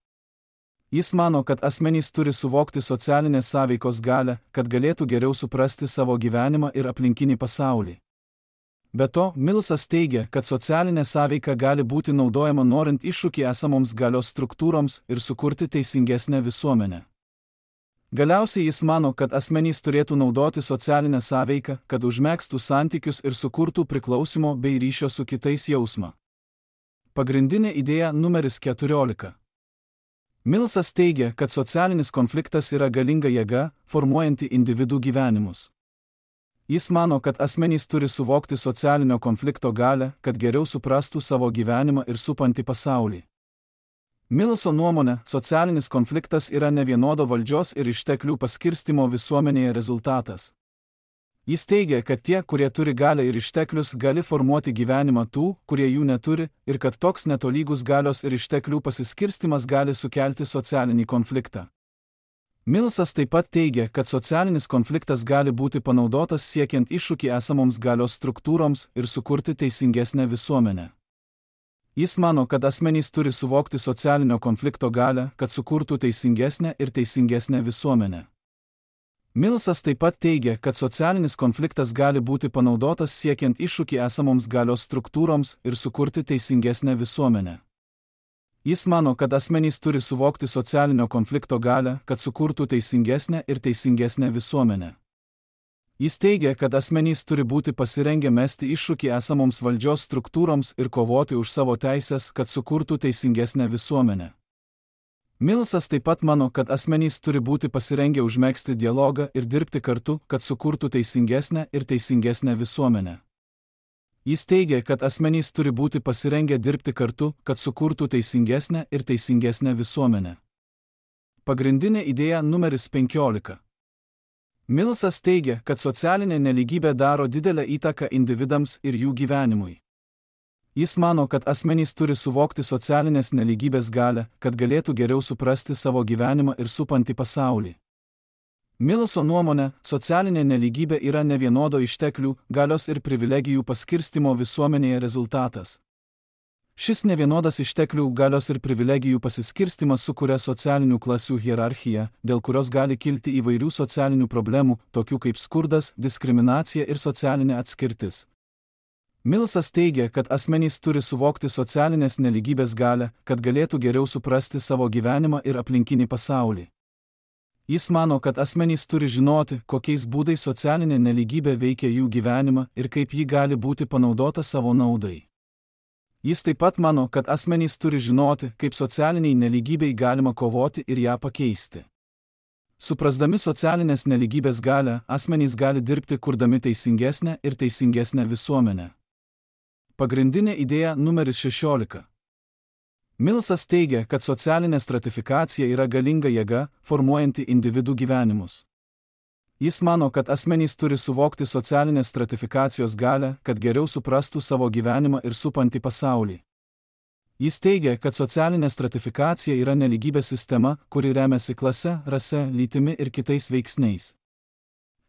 Jis mano, kad asmenys turi suvokti socialinės sąveikos galią, kad galėtų geriau suprasti savo gyvenimą ir aplinkinį pasaulį. Be to, Millsas teigia, kad socialinė sąveika gali būti naudojama norint iššūkį esamoms galios struktūroms ir sukurti teisingesnę visuomenę. Galiausiai jis mano, kad asmenys turėtų naudoti socialinę sąveiką, kad užmegztų santykius ir sukurtų priklausimo bei ryšio su kitais jausmą. Pagrindinė idėja numeris keturiolika. Millsas teigia, kad socialinis konfliktas yra galinga jėga, formuojanti individų gyvenimus. Jis mano, kad asmenys turi suvokti socialinio konflikto galią, kad geriau suprastų savo gyvenimą ir supantį pasaulį. Millso nuomone, socialinis konfliktas yra nevienodo valdžios ir išteklių paskirstimo visuomenėje rezultatas. Jis teigia, kad tie, kurie turi galią ir išteklius, gali formuoti gyvenimą tų, kurie jų neturi, ir kad toks netolygus galios ir išteklių pasiskirstimas gali sukelti socialinį konfliktą. Millsas taip pat teigia, kad socialinis konfliktas gali būti panaudotas siekiant iššūkį esamoms galios struktūroms ir sukurti teisingesnę visuomenę. Jis mano, kad asmenys turi suvokti socialinio konflikto galią, kad sukurtų teisingesnę ir teisingesnę visuomenę. Millsas taip pat teigia, kad socialinis konfliktas gali būti panaudotas siekiant iššūkį esamoms galios struktūroms ir sukurti teisingesnę visuomenę. Jis mano, kad asmenys turi suvokti socialinio konflikto galią, kad sukurtų teisingesnę ir teisingesnę visuomenę. Jis teigia, kad asmenys turi būti pasirengę mesti iššūkį esamoms valdžios struktūroms ir kovoti už savo teisės, kad sukurtų teisingesnę visuomenę. Millsas taip pat mano, kad asmenys turi būti pasirengę užmegzti dialogą ir dirbti kartu, kad sukurtų teisingesnę ir teisingesnę visuomenę. Jis teigia, kad asmenys turi būti pasirengę dirbti kartu, kad sukurtų teisingesnę ir teisingesnę visuomenę. Pagrindinė idėja numeris penkiolika. Millsas teigia, kad socialinė nelygybė daro didelę įtaką individams ir jų gyvenimui. Jis mano, kad asmenys turi suvokti socialinės nelygybės galią, kad galėtų geriau suprasti savo gyvenimą ir supantį pasaulį. Millso nuomone, socialinė nelygybė yra nevienodo išteklių, galios ir privilegijų paskirstimo visuomenėje rezultatas. Šis nevienodas išteklių, galios ir privilegijų pasiskirstimas sukuria socialinių klasių hierarchiją, dėl kurios gali kilti įvairių socialinių problemų, tokių kaip skurdas, diskriminacija ir socialinė atskirtis. Millsas teigia, kad asmenys turi suvokti socialinės nelygybės galią, kad galėtų geriau suprasti savo gyvenimą ir aplinkinį pasaulį. Jis mano, kad asmenys turi žinoti, kokiais būdais socialinė nelygybė veikia jų gyvenimą ir kaip ji gali būti panaudota savo naudai. Jis taip pat mano, kad asmenys turi žinoti, kaip socialiniai nelygybei galima kovoti ir ją pakeisti. Suprasdami socialinės nelygybės galią, asmenys gali dirbti kurdami teisingesnę ir teisingesnę visuomenę. Pagrindinė idėja numeris šešiolika. Millsas teigia, kad socialinė stratifikacija yra galinga jėga, formuojanti individų gyvenimus. Jis mano, kad asmenys turi suvokti socialinės stratifikacijos galią, kad geriau suprastų savo gyvenimą ir supantį pasaulį. Jis teigia, kad socialinė stratifikacija yra nelygybės sistema, kuri remiasi klase, rase, lytimi ir kitais veiksniais.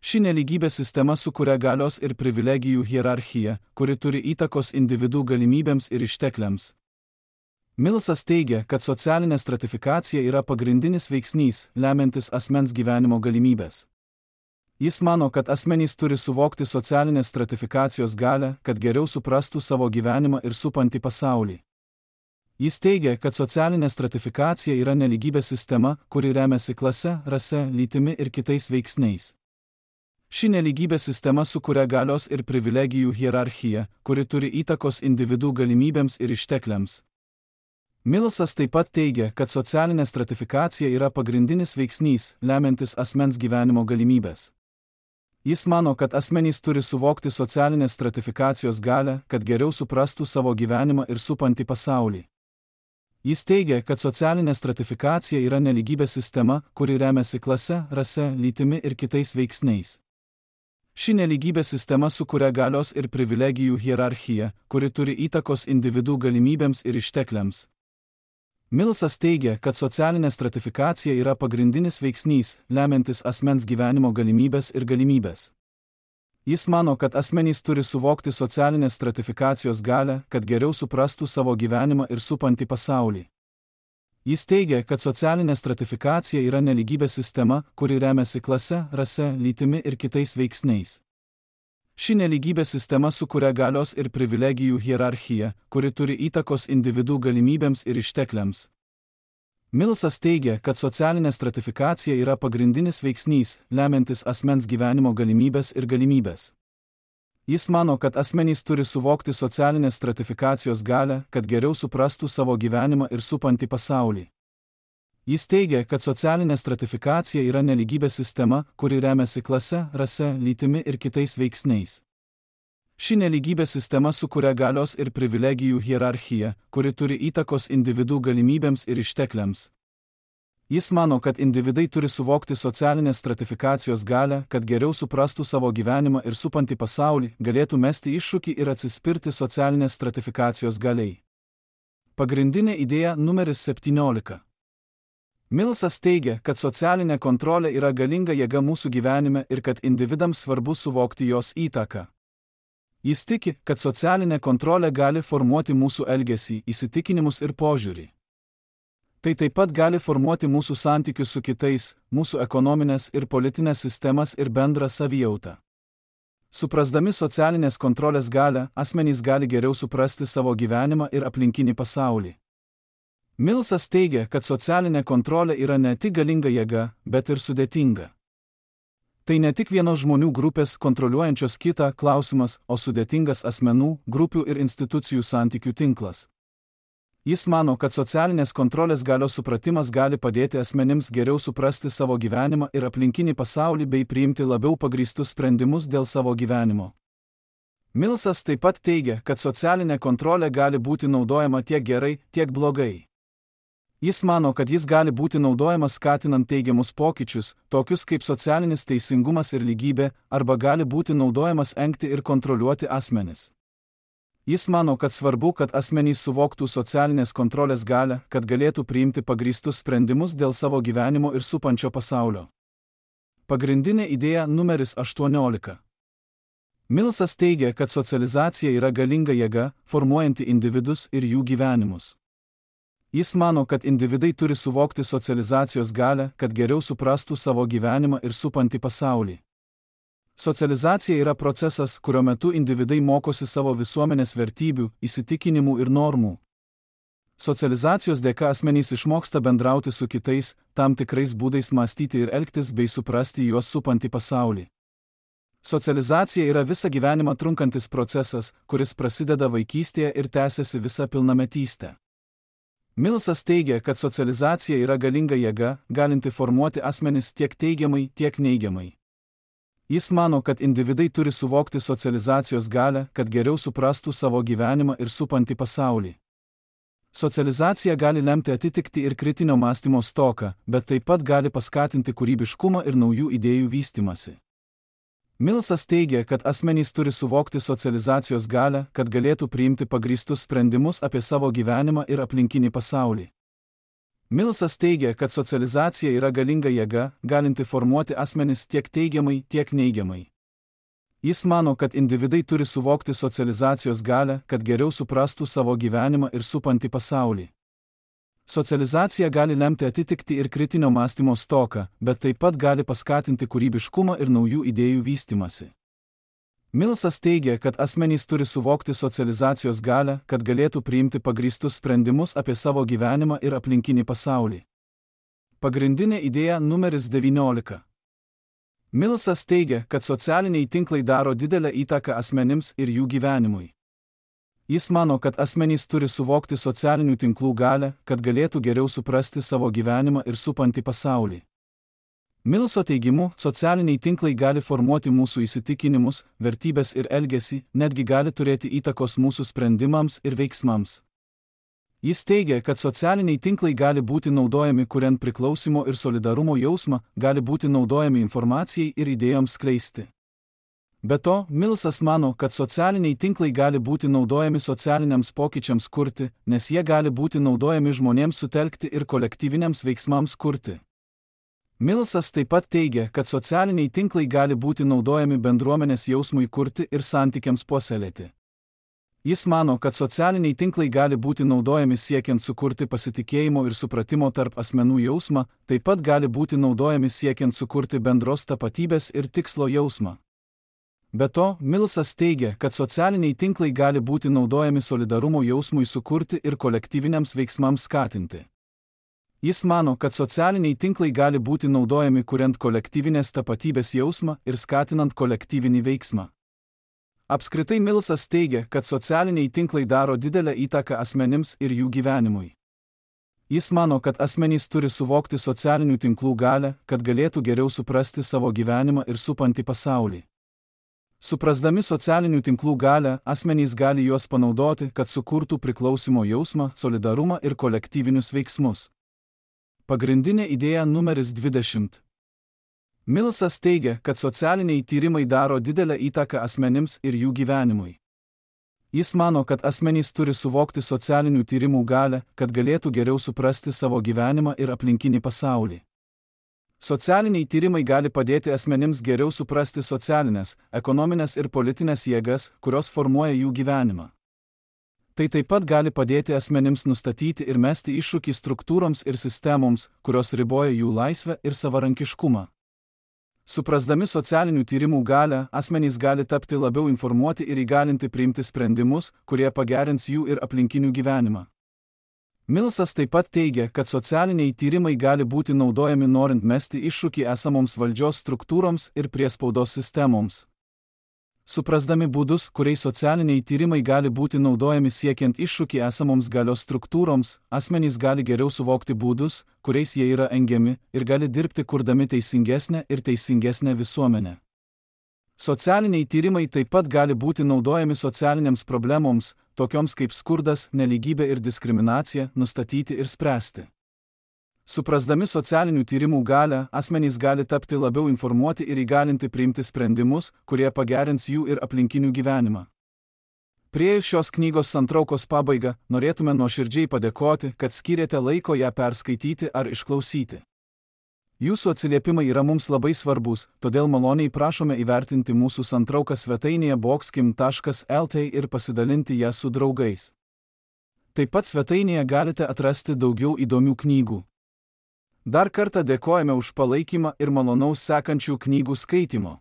Ši nelygybės sistema sukuria galios ir privilegijų hierarchiją, kuri turi įtakos individų galimybėms ir ištekliams. Millsas teigia, kad socialinė stratifikacija yra pagrindinis veiksnys, lemiantis asmens gyvenimo galimybės. Jis mano, kad asmenys turi suvokti socialinės stratifikacijos galią, kad geriau suprastų savo gyvenimą ir supantį pasaulį. Jis teigia, kad socialinė stratifikacija yra nelygybės sistema, kuri remiasi klase, rase, lytimi ir kitais veiksniais. Ši nelygybės sistema sukuria galios ir privilegijų hierarchiją, kuri turi įtakos individų galimybėms ir ištekliams. Millsas taip pat teigia, kad socialinė stratifikacija yra pagrindinis veiksnys, lemiantis asmens gyvenimo galimybės. Jis mano, kad asmenys turi suvokti socialinės stratifikacijos galią, kad geriau suprastų savo gyvenimą ir supantį pasaulį. Jis teigia, kad socialinė stratifikacija yra nelygybės sistema, kuri remiasi klase, rase, lytimi ir kitais veiksniais. Ši nelygybės sistema sukuria galios ir privilegijų hierarchiją, kuri turi įtakos individų galimybėms ir ištekliams. Millsas teigia, kad socialinė stratifikacija yra pagrindinis veiksnys, lemiantis asmens gyvenimo galimybės ir galimybės. Jis mano, kad asmenys turi suvokti socialinės stratifikacijos galią, kad geriau suprastų savo gyvenimą ir supantį pasaulį. Jis teigia, kad socialinė stratifikacija yra nelygybės sistema, kuri remiasi klase, rase, lytimi ir kitais veiksniais. Ši nelygybės sistema sukuria galios ir privilegijų hierarchiją, kuri turi įtakos individų galimybėms ir ištekliams. Millsas teigia, kad socialinė stratifikacija yra pagrindinis veiksnys, lemiantis asmens gyvenimo galimybės ir galimybės. Jis mano, kad asmenys turi suvokti socialinės stratifikacijos galią, kad geriau suprastų savo gyvenimą ir supantį pasaulį. Jis teigia, kad socialinė stratifikacija yra nelygybės sistema, kuri remiasi klase, rase, lytimi ir kitais veiksniais. Ši nelygybės sistema sukuria galios ir privilegijų hierarchiją, kuri turi įtakos individų galimybėms ir ištekliams. Jis mano, kad individai turi suvokti socialinės stratifikacijos galią, kad geriau suprastų savo gyvenimą ir supantį pasaulį, galėtų mesti iššūkį ir atsispirti socialinės stratifikacijos galiai. Pagrindinė idėja numeris septyniolika. Millsas teigia, kad socialinė kontrolė yra galinga jėga mūsų gyvenime ir kad individams svarbu suvokti jos įtaką. Jis tiki, kad socialinė kontrolė gali formuoti mūsų elgesį, įsitikinimus ir požiūrį. Tai taip pat gali formuoti mūsų santykius su kitais, mūsų ekonominės ir politinės sistemas ir bendrą savijautą. Suprasdami socialinės kontrolės galią, asmenys gali geriau suprasti savo gyvenimą ir aplinkinį pasaulį. Millsas teigia, kad socialinė kontrolė yra ne tik galinga jėga, bet ir sudėtinga. Tai ne tik vienos žmonių grupės kontroliuojančios kitą klausimas, o sudėtingas asmenų, grupių ir institucijų santykių tinklas. Jis mano, kad socialinės kontrolės galios supratimas gali padėti asmenims geriau suprasti savo gyvenimą ir aplinkinį pasaulį bei priimti labiau pagrįstus sprendimus dėl savo gyvenimo. Millsas taip pat teigia, kad socialinė kontrolė gali būti naudojama tiek gerai, tiek blogai. Jis mano, kad jis gali būti naudojamas skatinant teigiamus pokyčius, tokius kaip socialinis teisingumas ir lygybė, arba gali būti naudojamas engti ir kontroliuoti asmenis. Jis mano, kad svarbu, kad asmenys suvoktų socialinės kontrolės galią, kad galėtų priimti pagrįstus sprendimus dėl savo gyvenimo ir supančio pasaulio. Pagrindinė idėja numeris aštuoniolika. Millsas teigia, kad socializacija yra galinga jėga, formuojanti individus ir jų gyvenimus. Jis mano, kad individai turi suvokti socializacijos galią, kad geriau suprastų savo gyvenimą ir supantį pasaulį. Socializacija yra procesas, kurio metu individai mokosi savo visuomenės vertybių, įsitikinimų ir normų. Socializacijos dėka asmenys išmoksta bendrauti su kitais, tam tikrais būdais mąstyti ir elgtis bei suprasti juos supantį pasaulį. Socializacija yra visą gyvenimą trunkantis procesas, kuris prasideda vaikystėje ir tęsiasi visą pilnametystę. Millsas teigia, kad socializacija yra galinga jėga, galinti formuoti asmenis tiek teigiamai, tiek neigiamai. Jis mano, kad individai turi suvokti socializacijos galią, kad geriau suprastų savo gyvenimą ir supantį pasaulį. Socializacija gali lemti atitikti ir kritinio mąstymo stoką, bet taip pat gali paskatinti kūrybiškumą ir naujų idėjų vystymąsi. Millsas teigia, kad asmenys turi suvokti socializacijos galią, kad galėtų priimti pagrįstus sprendimus apie savo gyvenimą ir aplinkinį pasaulį. Millsas teigia, kad socializacija yra galinga jėga, galinti formuoti asmenis tiek teigiamai, tiek neigiamai. Jis mano, kad individai turi suvokti socializacijos galią, kad geriau suprastų savo gyvenimą ir supantį pasaulį. Socializacija gali lemti atitikti ir kritinio mąstymo stoką, bet taip pat gali paskatinti kūrybiškumą ir naujų idėjų vystymąsi. Millsas teigia, kad asmenys turi suvokti socializacijos galią, kad galėtų priimti pagrįstus sprendimus apie savo gyvenimą ir aplinkinį pasaulį. Pagrindinė idėja numeris devyniolika. Millsas teigia, kad socialiniai tinklai daro didelę įtaką asmenims ir jų gyvenimui. Jis mano, kad asmenys turi suvokti socialinių tinklų galią, kad galėtų geriau suprasti savo gyvenimą ir supantį pasaulį. Millso teigimu, socialiniai tinklai gali formuoti mūsų įsitikinimus, vertybes ir elgesį, netgi gali turėti įtakos mūsų sprendimams ir veiksmams. Jis teigia, kad socialiniai tinklai gali būti naudojami kuriant priklausimo ir solidarumo jausmą, gali būti naudojami informacijai ir idėjoms skleisti. Be to, Millsas mano, kad socialiniai tinklai gali būti naudojami socialiniams pokyčiams kurti, nes jie gali būti naudojami žmonėms sutelkti ir kolektyviniams veiksmams kurti. Millsas taip pat teigia, kad socialiniai tinklai gali būti naudojami bendruomenės jausmui kurti ir santykiams puoselėti. Jis mano, kad socialiniai tinklai gali būti naudojami siekiant sukurti pasitikėjimo ir supratimo tarp asmenų jausmą, taip pat gali būti naudojami siekiant sukurti bendros tapatybės ir tikslo jausmą. Be to, Millsas teigia, kad socialiniai tinklai gali būti naudojami solidarumo jausmui sukurti ir kolektyviniams veiksmams skatinti. Jis mano, kad socialiniai tinklai gali būti naudojami kuriant kolektyvinės tapatybės jausmą ir skatinant kolektyvinį veiksmą. Apskritai Millsas teigia, kad socialiniai tinklai daro didelę įtaką asmenims ir jų gyvenimui. Jis mano, kad asmenys turi suvokti socialinių tinklų galią, kad galėtų geriau suprasti savo gyvenimą ir supantį pasaulį. Suprasdami socialinių tinklų galią, asmenys gali juos panaudoti, kad sukurtų priklausimo jausmą, solidarumą ir kolektyvinius veiksmus. Pagrindinė idėja numeris dvidešimt. Millsas teigia, kad socialiniai tyrimai daro didelę įtaką asmenims ir jų gyvenimui. Jis mano, kad asmenys turi suvokti socialinių tyrimų galią, kad galėtų geriau suprasti savo gyvenimą ir aplinkinį pasaulį. Socialiniai tyrimai gali padėti asmenims geriau suprasti socialinės, ekonominės ir politinės jėgas, kurios formuoja jų gyvenimą. Tai taip pat gali padėti asmenims nustatyti ir mesti iššūkį struktūroms ir sistemoms, kurios riboja jų laisvę ir savarankiškumą. Suprasdami socialinių tyrimų galią, asmenys gali tapti labiau informuoti ir įgalinti priimti sprendimus, kurie pagerins jų ir aplinkinių gyvenimą. Millsas taip pat teigia, kad socialiniai tyrimai gali būti naudojami norint mesti iššūkį esamoms valdžios struktūroms ir priespaudos sistemoms. Suprasdami būdus, kuriais socialiniai tyrimai gali būti naudojami siekiant iššūkį esamoms galios struktūroms, asmenys gali geriau suvokti būdus, kuriais jie yra engiami, ir gali dirbti kurdami teisingesnę ir teisingesnę visuomenę. Socialiniai tyrimai taip pat gali būti naudojami socialinėms problemoms, tokioms kaip skurdas, nelygybė ir diskriminacija, nustatyti ir spręsti. Suprasdami socialinių tyrimų galią, asmenys gali tapti labiau informuoti ir įgalinti priimti sprendimus, kurie pagerins jų ir aplinkinių gyvenimą. Priėjus šios knygos santraukos pabaigą, norėtume nuoširdžiai padėkoti, kad skyrėte laiko ją perskaityti ar išklausyti. Jūsų atsiliepimai yra mums labai svarbus, todėl maloniai prašome įvertinti mūsų santrauką svetainėje boxkim taškas el t ir pasidalinti ją su draugais. Taip pat svetainėje galite atrasti daugiau įdomių knygų. Dar kartą dėkojame už palaikymą ir malonaus sekančių knygų skaitimo.